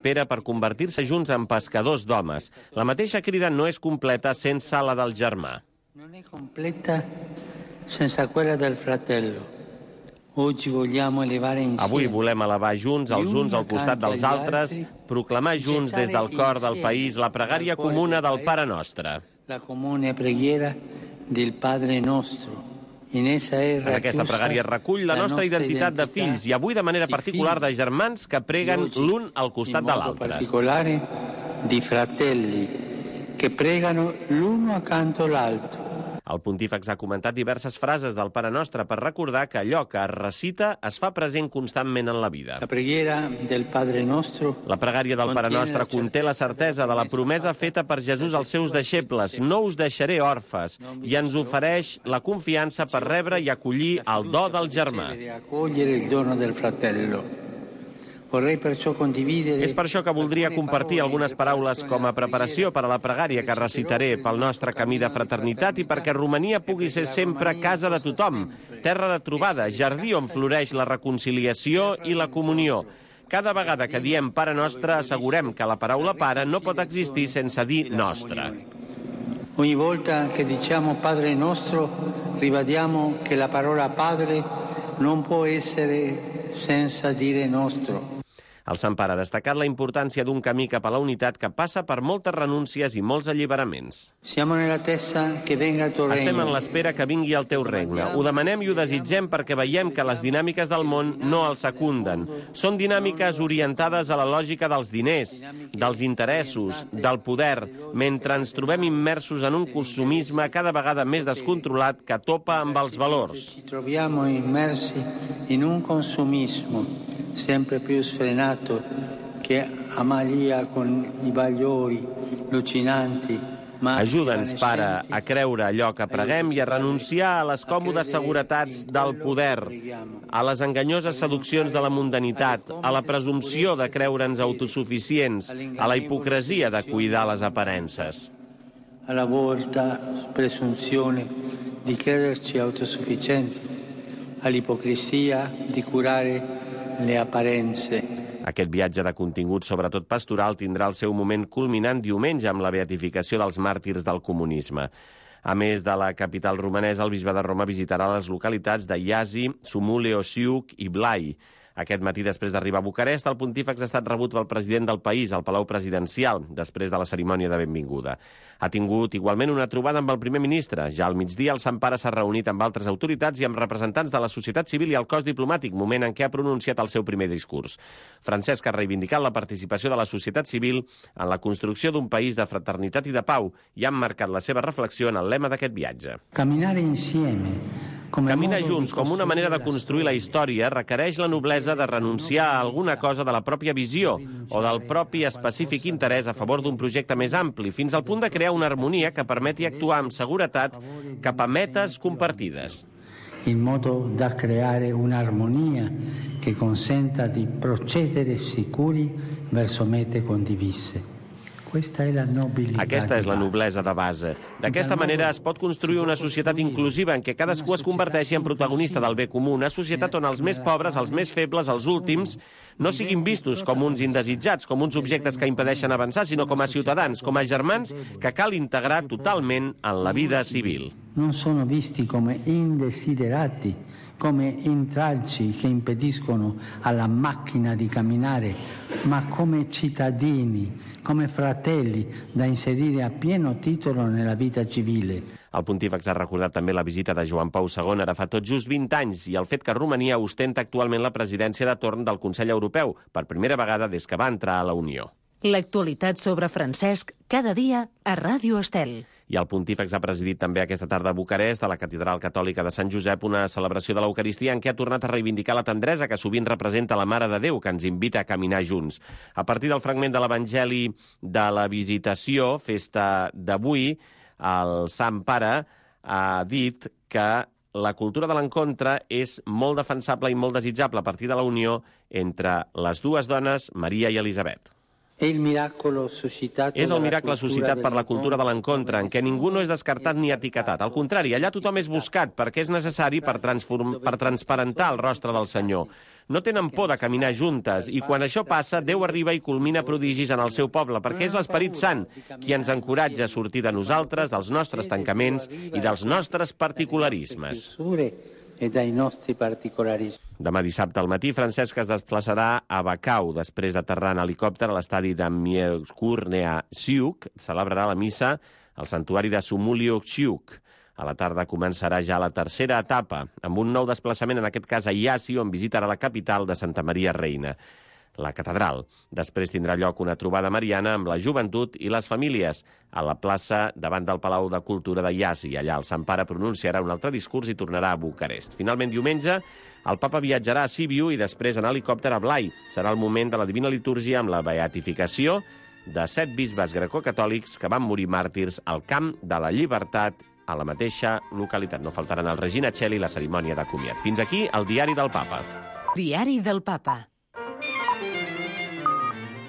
Pere per convertir-se junts en pescadors d'homes. La mateixa crida no és completa sense la del germà. Non è completa senza quella del fratello. Avui volem elevar junts els uns al costat dels altres, proclamar junts des del cor del país la pregària comuna del Pare Nostre. La comune preghiera del Padre Nostro. En aquesta pregària recull la nostra identitat de fills i avui de manera particular de germans que preguen l'un al costat de l'altre. In modo particolare di fratelli che pregano l'uno accanto all'altro. El pontífex ha comentat diverses frases del Pare Nostre per recordar que allò que es recita es fa present constantment en la vida. La pregària del Padre Nostre conté la certesa de la promesa feta per Jesús als seus deixebles: no us deixaré orfes, i ens ofereix la confiança per rebre i acollir el do del germà. És per això que voldria compartir algunes paraules com a preparació per a la pregària que recitaré pel nostre camí de fraternitat i perquè Romania pugui ser sempre casa de tothom, terra de trobada, jardí on floreix la reconciliació i la comunió. Cada vegada que diem Pare Nostre, assegurem que la paraula Pare no pot existir sense dir Nostre. Ogni volta che diciamo Padre Nostro, ribadiamo che la parola Padre non può essere senza dire Nostro. El Sant Pare ha destacat la importància d'un camí cap a la unitat que passa per moltes renúncies i molts alliberaments. Estem en l'espera que vingui el teu regne. Ho demanem i ho desitgem perquè veiem que les dinàmiques del món no el secunden. Són dinàmiques orientades a la lògica dels diners, dels interessos, del poder, mentre ens trobem immersos en un consumisme cada vegada més descontrolat que topa amb els valors. Ci troviamo immersi in un consumismo sempre più sfrenato che amalia con i valori allucinanti. Ajuda'ns, Pare, a creure allò que preguem i a renunciar a les còmodes seguretats del poder, a les enganyoses seduccions de la mundanitat, a la presumpció de creure'ns autosuficients, a la hipocresia de cuidar les aparences. A la volta presunzione di crederci autosufficienti, all'ipocrisia di curare le apparenze. Aquest viatge de contingut, sobretot pastoral, tindrà el seu moment culminant diumenge amb la beatificació dels màrtirs del comunisme. A més de la capital romanesa, el bisbe de Roma visitarà les localitats de Iași, Sumule, Osiuc i Blai. Aquest matí, després d'arribar a Bucarest, el pontífex ha estat rebut pel president del país, al Palau Presidencial, després de la cerimònia de benvinguda. Ha tingut igualment una trobada amb el primer ministre. Ja al migdia, el Sant Pare s'ha reunit amb altres autoritats i amb representants de la societat civil i el cos diplomàtic, moment en què ha pronunciat el seu primer discurs. Francesc ha reivindicat la participació de la societat civil en la construcció d'un país de fraternitat i de pau i ha emmarcat la seva reflexió en el lema d'aquest viatge. Caminar junts com una manera de construir la història requereix la noblesa de renunciar a alguna cosa de la pròpia visió o del propi específic interès a favor d'un projecte més ampli, fins al punt de crear una harmonia que permeti actuar amb seguretat cap a metes compartides. In modo da creare un'armonia che consenta di procedere sicuri verso mete condivise. Aquesta és la noblesa de base. D'aquesta manera es pot construir una societat inclusiva en què cadascú es converteixi en protagonista del bé comú, una societat on els més pobres, els més febles, els últims, no siguin vistos com uns indesitjats, com uns objectes que impedeixen avançar, sinó com a ciutadans, com a germans que cal integrar totalment en la vida civil. Non sono visti come indesiderati, come intralci che impediscono alla macchina di camminare, ma come cittadini, come fratelli da inserire a pieno titolo nella vita civile. El pontífex ha recordat també la visita de Joan Pau II ara fa tot just 20 anys i el fet que Romania ostenta actualment la presidència de torn del Consell Europeu, per primera vegada des que va entrar a la Unió. L'actualitat sobre Francesc, cada dia a Ràdio Estel. I el pontífex ha presidit també aquesta tarda a Bucarest, a la Catedral Catòlica de Sant Josep, una celebració de l'Eucaristia en què ha tornat a reivindicar la tendresa que sovint representa la Mare de Déu, que ens invita a caminar junts. A partir del fragment de l'Evangeli de la Visitació, festa d'avui, el Sant Pare ha dit que la cultura de l'encontre és molt defensable i molt desitjable a partir de la unió entre les dues dones, Maria i Elisabet. És el miracle suscitat per la cultura de l'encontre, en què ningú no és descartat ni etiquetat. Al contrari, allà tothom és buscat perquè és necessari per transparentar el rostre del Senyor. no tenen por de caminar juntes, i quan això passa, Déu arriba i culmina prodigis en el seu poble, perquè és l'Esperit Sant qui ens encoratja a sortir de nosaltres, dels nostres tancaments i dels nostres particularismes. Demà dissabte al matí, Francesc es desplaçarà a Bacau, després d'aterrar en helicòpter a l'estadi de Mieszkurnea-Siuk. Celebrarà la missa al santuari de Sumuliuk-Siuk. A la tarda començarà ja la tercera etapa, amb un nou desplaçament, en aquest cas a Iasi, on visitarà la capital de Santa Maria Reina, la catedral. Després tindrà lloc una trobada mariana amb la joventut i les famílies a la plaça davant del Palau de Cultura de Iasi. Allà el Sant Pare pronunciarà un altre discurs i tornarà a Bucarest. Finalment, diumenge, el papa viatjarà a Sibiu i després en helicòpter a Blai. Serà el moment de la Divina Litúrgia amb la beatificació de 7 bisbes grecocatòlics que van morir màrtirs al Camp de la Llibertat a la mateixa localitat. No faltaran el Regina Coeli i la cerimònia de comiat. Fins aquí el Diari del Papa. Diari del Papa.